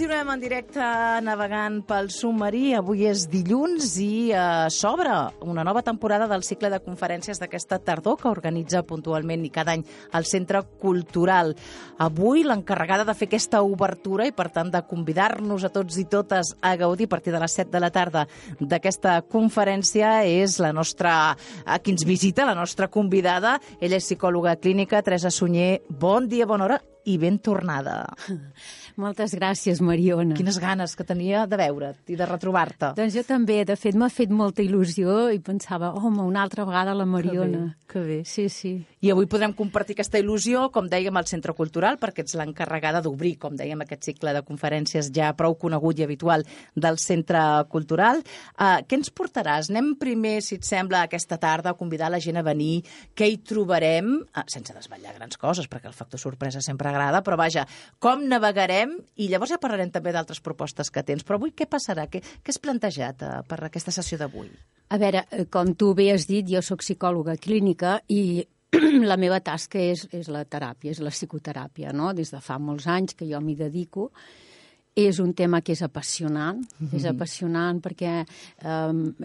Continuem en directe navegant pel submarí. Avui és dilluns i s'obre una nova temporada del cicle de conferències d'aquesta tardor que organitza puntualment i cada any el Centre Cultural. Avui l'encarregada de fer aquesta obertura i, per tant, de convidar-nos a tots i totes a gaudir a partir de les 7 de la tarda d'aquesta conferència és la nostra, qui ens visita, la nostra convidada. Ella és psicòloga clínica, Teresa Sunyer. Bon dia, bona hora i ben tornada. Moltes gràcies, Mariona. Quines ganes que tenia de veure't i de retrobar-te. Doncs jo també, de fet, m'ha fet molta il·lusió i pensava, home, una altra vegada la Mariona. Que bé. Sí, sí. I avui podrem compartir aquesta il·lusió, com dèiem, al Centre Cultural, perquè ets l'encarregada d'obrir, com dèiem, aquest cicle de conferències ja prou conegut i habitual del Centre Cultural. Què ens portaràs? Anem primer, si et sembla, aquesta tarda a convidar la gent a venir. Què hi trobarem? Sense desvetllar grans coses, perquè el factor sorpresa sempre agrada, però vaja, com navegarem? I llavors ja parlarem també d'altres propostes que tens. Però avui què passarà? Què has plantejat per aquesta sessió d'avui? A veure, com tu bé has dit, jo sóc psicòloga clínica i la meva tasca és la teràpia, és la psicoteràpia, no? Des de fa molts anys que jo m'hi dedico. És un tema que és apassionant, perquè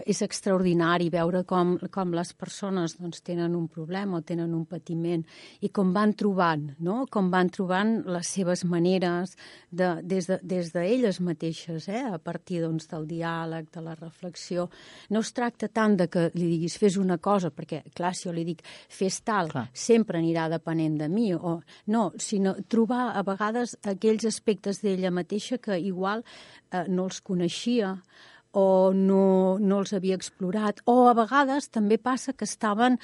és extraordinari veure com les persones doncs, tenen un problema o tenen un patiment i com van trobant, no? Com van trobant les seves maneres des d'elles mateixes, a partir doncs, del diàleg, de la reflexió. No es tracta tant de que li diguis fes una cosa, perquè clar, si jo li dic fes tal, sempre anirà depenent de mi, o no, sinó trobar a vegades aquells aspectes d'ella mateixa que igual no els coneixia o no els havia explorat. O a vegades també passa que estaven,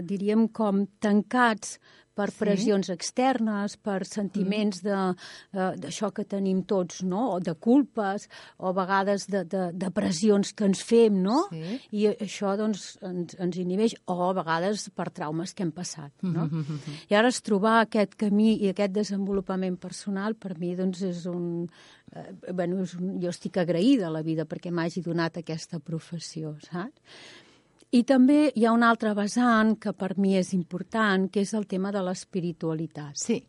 diríem, com tancats per pressions externes, per sentiments d'això que tenim tots, no? O de culpes, o a vegades de pressions que ens fem, no? Sí. I això doncs, ens inhibeix, o a vegades per traumes que hem passat, no? I ara trobar aquest camí i aquest desenvolupament personal, per mi doncs, és un... jo estic agraïda a la vida perquè m'hagi donat aquesta professió, saps? I també hi ha un altre vessant que per mi és important, que és el tema de l'espiritualitat. Sí.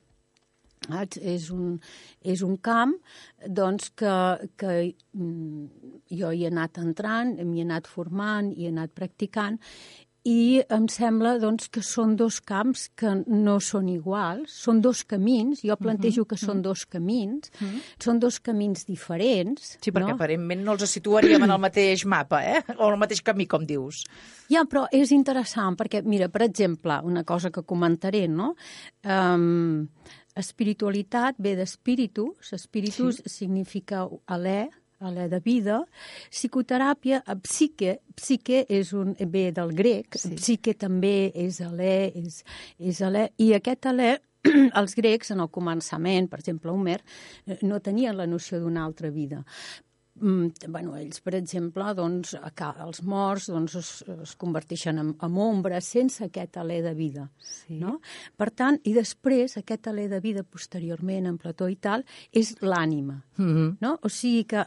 És un camp doncs, que jo hi he anat entrant, m'hi he anat formant, hi he anat practicant, i em sembla doncs, que són dos camps que no són iguals, són dos camins, jo plantejo que són dos camins, són dos camins diferents. Sí, perquè aparentment no els situaríem en el mateix mapa, o en el mateix camí, com dius. Ja, però és interessant, perquè, mira, per exemple, una cosa que comentaré, no? Espiritualitat ve d'espíritus, espíritus significa alè de vida, psicoteràpia, psique ve del grec, psique també és alè, i aquest alè, els grecs, en el començament, per exemple, Homer, no tenien la noció d'una altra vida. Ells, per exemple, doncs, els morts es converteixen en ombres sense aquest alè de vida. No? Per tant, i després, aquest alè de vida posteriorment, en Plató i tal, és l'ànima. No? O sigui que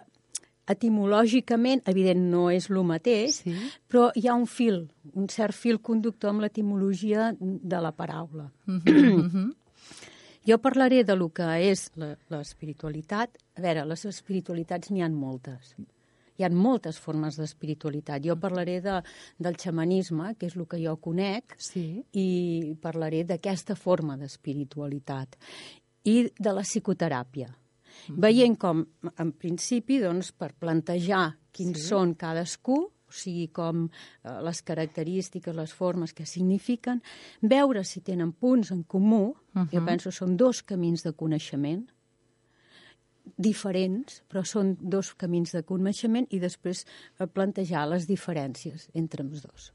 etimològicament, evident, no és el mateix, però hi ha un cert fil conductor amb l'etimologia de la paraula. Jo parlaré de lo que és l'espiritualitat. A veure, les espiritualitats n'hi ha moltes. Hi ha moltes formes d'espiritualitat. Jo parlaré del xamanisme, que és el que jo conec, i parlaré d'aquesta forma d'espiritualitat. I de la psicoteràpia. Veient com, en principi, doncs, per plantejar quins són cadascú, o sigui, com les característiques, les formes que signifiquen, veure si tenen punts en comú, jo penso que són dos camins de coneixement, diferents, però són dos camins de coneixement, i després plantejar les diferències entre els dos.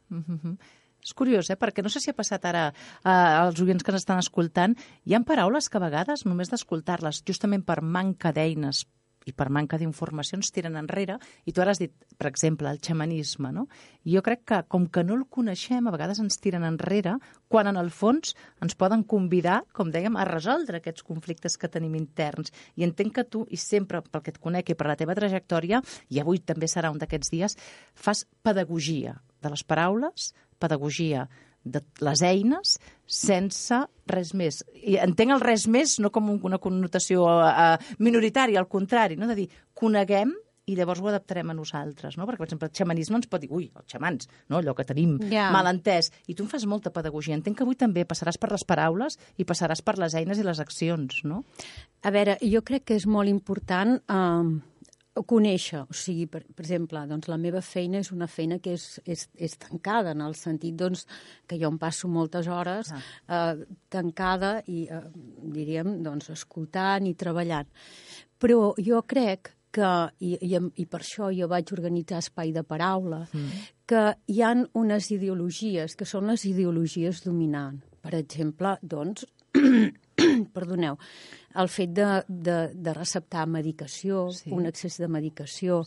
És curiós, perquè no sé si ha passat ara als oients que ens estan escoltant, hi ha paraules que a vegades, només d'escoltar-les, justament per manca d'eines i per manca d'informació, ens tiren enrere, i tu ara has dit, per exemple, el xamanisme, no? I jo crec que, com que no el coneixem, a vegades ens tiren enrere, quan en el fons ens poden convidar, com dèiem, a resoldre aquests conflictes que tenim interns. I entenc que tu, i sempre pel que et conec i per la teva trajectòria, i avui també serà un d'aquests dies, fas pedagogia de les paraules, pedagogia de les eines sense res més. I entenc el res més no com una connotació minoritària, al contrari, no? De dir, coneguem i llavors ho adaptarem a nosaltres, no? Perquè, per exemple, el xamanisme ens pot dir, ui, els xamans, no? Allò que tenim mal entès. I tu em fas molta pedagogia. Entenc que avui també passaràs per les paraules i passaràs per les eines i les accions, no? A veure, jo crec que és molt important conèixer. O sigui, per exemple, doncs, la meva feina és una feina que és tancada, en el sentit doncs, que jo em passo moltes hores tancada i, diríem, doncs, escoltant i treballant. Però jo crec que, i per això jo vaig organitzar Espai de Paraula, que hi ha unes ideologies que són les ideologies dominants. Per exemple, doncs, perdoneu, el fet de receptar medicació, un excés de medicació,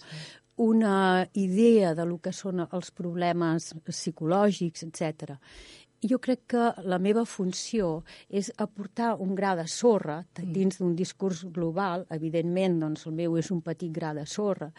una idea de lo que són els problemes psicològics, etc. Jo crec que la meva funció és aportar un gra de sorra dins d'un discurs global. Evidentment, doncs, el meu és un petit gra de sorra,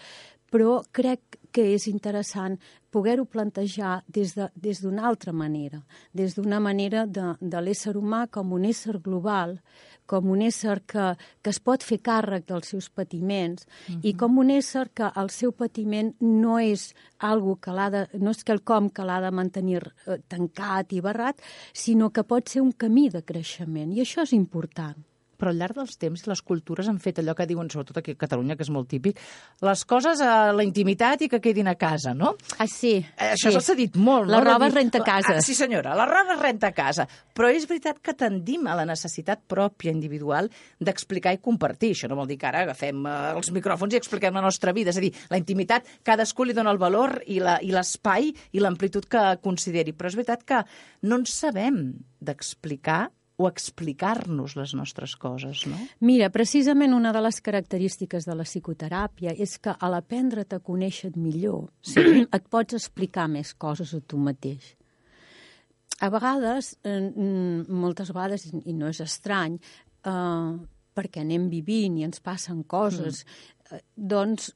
però crec que és interessant poder-ho plantejar des d'una altra manera, des d'una manera de l'ésser humà com un ésser global, com un ésser que es pot fer càrrec dels seus patiments i com un ésser que el seu patiment no és no és quelcom que l'ha de mantenir tancat i barrat, sinó que pot ser un camí de creixement, i això és important. Però al llarg dels temps les cultures han fet allò que diuen, sobretot aquí a Catalunya, que és molt típic, les coses a la intimitat i que quedin a casa, no? Ah, sí. Això s'ha dit molt, no? La roba es renta a casa. Sí, senyora, la roba es renta a casa. Però és veritat que tendim a la necessitat pròpia, individual, d'explicar i compartir. Això no vol dir que ara agafem els micròfons i expliquem la nostra vida. És a dir, la intimitat, cadascú li dona el valor i l'espai i l'amplitud que consideri. Però és veritat que no en sabem d'explicar o explicar-nos les nostres coses, no? Mira, precisament una de les característiques de la psicoteràpia és que a l'aprendre't a conèixer millor et pots explicar més coses a tu mateix. A vegades, moltes vegades, i no és estrany, perquè anem vivint i ens passen coses, doncs,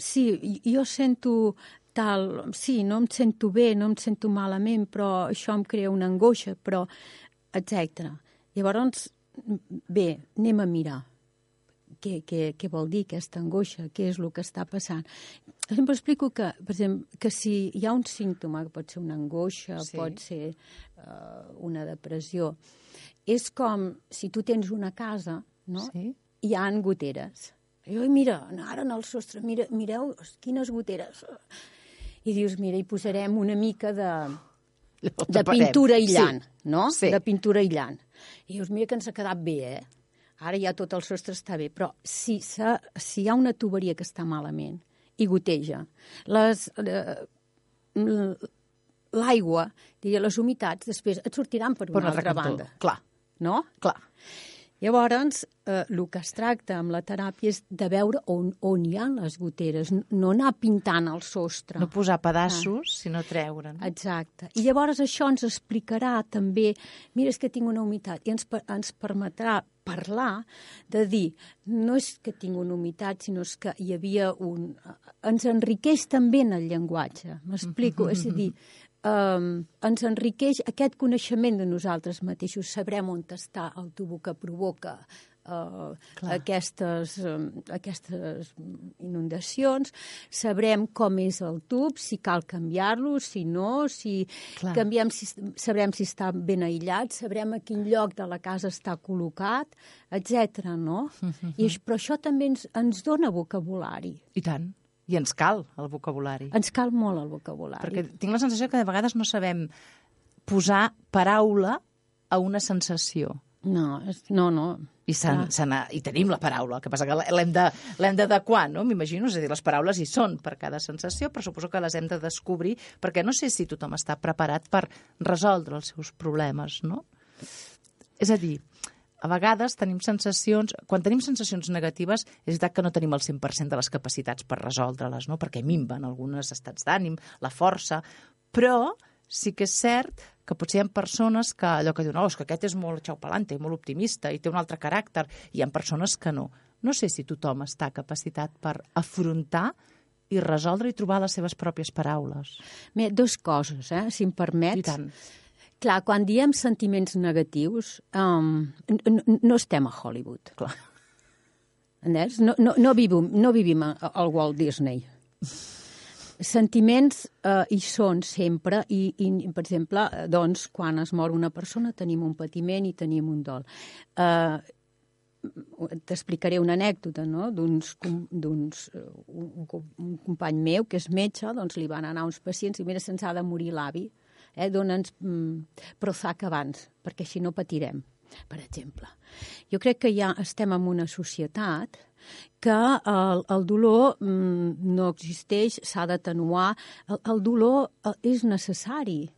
sí, jo sento tal, sí, no em sento bé, no em sento malament, però això em crea una angoixa, però etc. Llavors, bé, anem a mirar què vol dir aquesta angoixa, què és el que està passant. Sempre explico que, per exemple, que si hi ha un símptoma, que pot ser una angoixa, pot ser una depressió, és com si tu tens una casa, no? Hi ha goteres. I mira, ara en el sostre, mireu quines goteres. I dius, mira, hi posarem una mica de pintura aïllant, no? De pintura aïllant. I dius, mira que ens ha quedat bé, Ara ja tot el sostre està bé, però si hi ha una tuberia que està malament i goteja, l'aigua, les humitats, després et sortiran per una altra banda. Clar. No? Clar. Llavors, el que es tracta amb la teràpia és de veure on hi ha les goteres, no anar pintant el sostre. No posar pedaços, sinó treure'n. Exacte. I llavors això ens explicarà també, mira, és que tinc una humitat, i ens permetrà parlar, de dir, no és que tinc una humitat, sinó és que hi havia ens enriqueix també en el llenguatge, m'explico? És a dir, ens enriqueix aquest coneixement de nosaltres mateixos, sabrem on està el tubo que provoca aquestes inundacions, sabrem com és el tub, si cal canviar-lo, si no, si canviem, sabrem si està ben aïllat, sabrem a quin lloc de la casa està col·locat, etc. no? Però això també ens dona vocabulari. I tant. I ens cal el vocabulari. Ens cal molt el vocabulari. Perquè tinc la sensació que de vegades no sabem posar paraula a una sensació. No. I tenim la paraula, el que passa que l'hem d'adequar, no? M'imagino, és a dir, les paraules hi són per cada sensació, però suposo que les hem de descobrir, perquè no sé si tothom està preparat per resoldre els seus problemes, no? És a dir, a vegades tenim sensacions, quan tenim sensacions negatives, és veritat que no tenim el 100% de les capacitats per resoldre-les, no? Perquè minven alguns estats d'ànim, la força, però sí que és cert que potser hi ha persones que allò que diuen, és que aquest és molt xaupalante, molt optimista i té un altre caràcter, i hi ha persones que no. No sé si tothom està capacitat per afrontar i resoldre i trobar les seves pròpies paraules. Bé, dues coses, si em permets. I tant. Clar, quan diem sentiments negatius, no estem a Hollywood. Clar. No vivim al Walt Disney. Sentiments hi són sempre i, per exemple, doncs, quan es mor una persona tenim un patiment i tenim un dol. T'explicaré una anècdota, no? Un company meu, que és metge, doncs li van anar uns pacients i mira, se'ns ha de morir l'avi, dona'ns Prozac abans, perquè així no patirem, per exemple. Jo crec que ja estem en una societat que el dolor no existeix, s'ha d'atenuar. El dolor és necessari.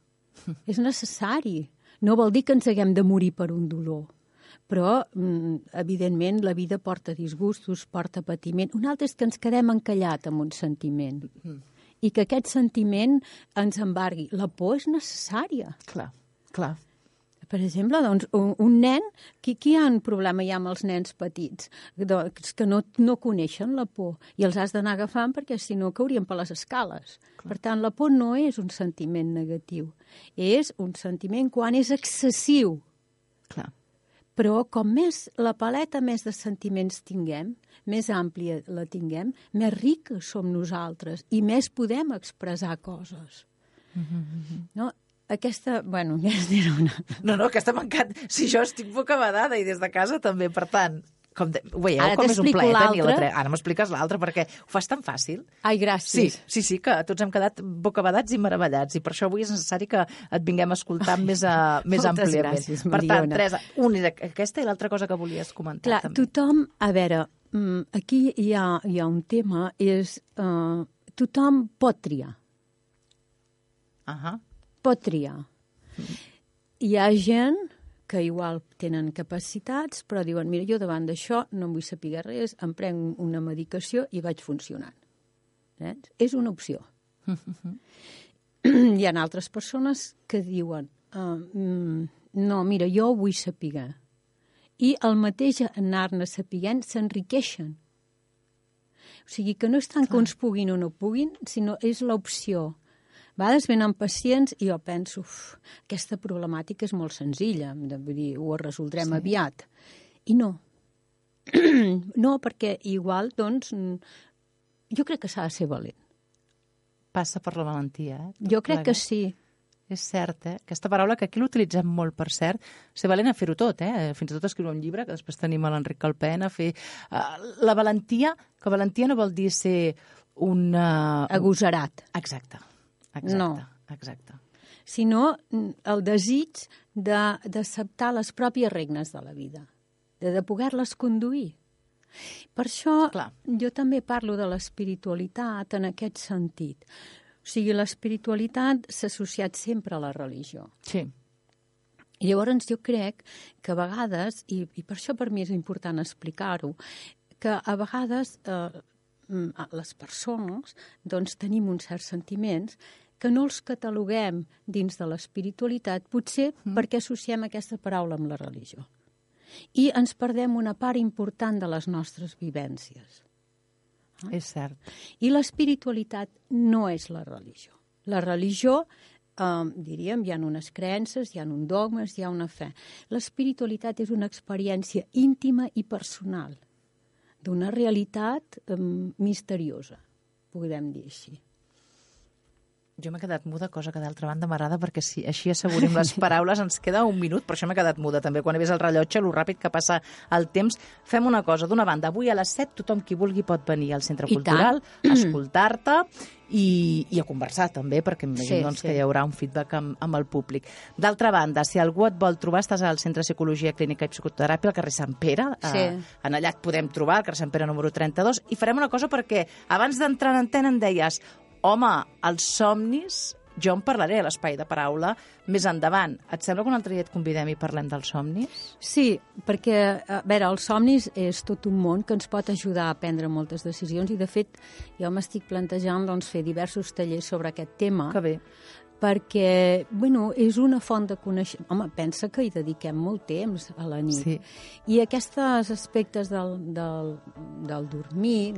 És necessari. No vol dir que ens haguem de morir per un dolor. Però, evidentment, la vida porta disgustos, porta patiment. Un altre és que ens quedem encallat amb un sentiment. I que aquest sentiment ens embargui. La por és necessària. Clar, clar. Per exemple, doncs, un nen, qui ha un problema ja amb els nens petits? Que no coneixen la por i els has d'anar agafant perquè si no caurien per les escales. Clar. Per tant, la por no és un sentiment negatiu. És un sentiment quan és excessiu. Clar. Però com més la paleta més de sentiments tinguem, més àmplia la tinguem, més riques som nosaltres i més podem expressar coses. No? Aquesta, bueno, ja es dirà una... No, aquesta m'encanta. Si jo estic bocabadada i des de casa també, per tant, ho veieu, ara com és un plaer tenir-la. l'altra. Ara m'expliques l'altra, perquè ho fas tan fàcil. Ai, gràcies. Sí, que tots hem quedat bocabadats i meravellats, i per això avui és necessari que et vinguem a escoltar més àmpliament. Gràcies, per tant, Teresa, una és aquesta i l'altra cosa que volies comentar. Clar, també. tothom, a veure, aquí hi ha un tema, és tothom pot triar. Pot triar. Hi ha gent que igual tenen capacitats, però diuen, mira, jo davant d'això no em vull saber res, em prenc una medicació i vaig funcionant. És una opció. Hi ha altres persones que diuen, no, mira, jo ho vull saber. I el mateix anar-ne sapiguent s'enriqueixen. O sigui que no és tant que uns puguin o no puguin, sinó és l'opció. A vegades venen pacients i jo penso, aquesta problemàtica és molt senzilla, vull dir, ho resoldrem aviat. I no. No, perquè igual, doncs, jo crec que s'ha de ser valent. Passa per la valentia, Jo crec que sí. És cert, Aquesta paraula que aquí l'utilitzem molt, per cert, ser valent a fer-ho tot, Fins i tot escriure un llibre, que després tenim a l'Enric Calpena, a fer... La valentia, que valentia no vol dir ser un... Agosarat. Exacte. No. Exacte. Sinó el desig d'acceptar les pròpies regnes de la vida, de poder-les conduir. Per això jo també parlo de l'espiritualitat en aquest sentit. O sigui, l'espiritualitat s'ha associat sempre a la religió. Sí. I llavors jo crec que a vegades, i per això per mi és important explicar-ho, que a vegades les persones doncs, tenim uns certs sentiments que no els cataloguem dins de l'espiritualitat, potser perquè associem aquesta paraula amb la religió. I ens perdem una part important de les nostres vivències. És cert. I l'espiritualitat no és la religió. La religió, diríem, hi ha unes creences, hi ha uns dogmes, hi ha una fe. L'espiritualitat és una experiència íntima i personal d'una realitat misteriosa, podem dir així. Jo m'he quedat muda, cosa que d'altra banda m'agrada, perquè si així assegurim les paraules ens queda un minut, per això m'he quedat muda també. Quan he vist el rellotge, lo ràpid que passa el temps, fem una cosa. D'una banda, avui a les 7 tothom qui vulgui pot venir al Centre Cultural, a escoltar-te i a conversar també, perquè m'imagino que hi haurà un feedback amb el públic. D'altra banda, si algú et vol trobar, estàs al Centre de Psicologia Clínica i Psicoteràpia, al carrer Sant Pere. En allà et podem trobar, al carrer Sant Pere número 32, i farem una cosa perquè abans d'entrar en antena em deies home, els somnis, jo en parlaré a l'Espai de Paraula més endavant. Et sembla que un altre dia et convidem i parlem dels somnis? Sí, perquè, a veure, els somnis és tot un món que ens pot ajudar a prendre moltes decisions i, de fet, jo m'estic plantejant fer diversos tallers sobre aquest tema. Que bé. Perquè, bueno, és una font de coneixement. Home, pensa que hi dediquem molt temps a la nit. Sí. I aquests aspectes del dormir,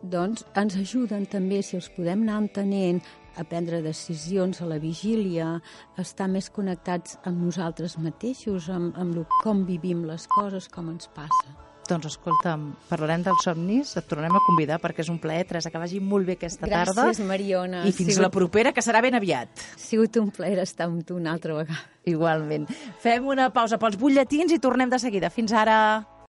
doncs ens ajuden també, si els podem anar entenent, a prendre decisions a la vigília, a estar més connectats amb nosaltres mateixos, amb com vivim les coses, com ens passa. Doncs escolta'm, parlarem dels somnis, et tornarem a convidar perquè és un plaer, Teresa, que vagi molt bé aquesta tarda. Gràcies, Mariona. I fins la propera, que serà ben aviat. Ha sigut un plaer estar amb tu una altra vegada. Igualment. Fem una pausa pels butlletins i tornem de seguida. Fins ara.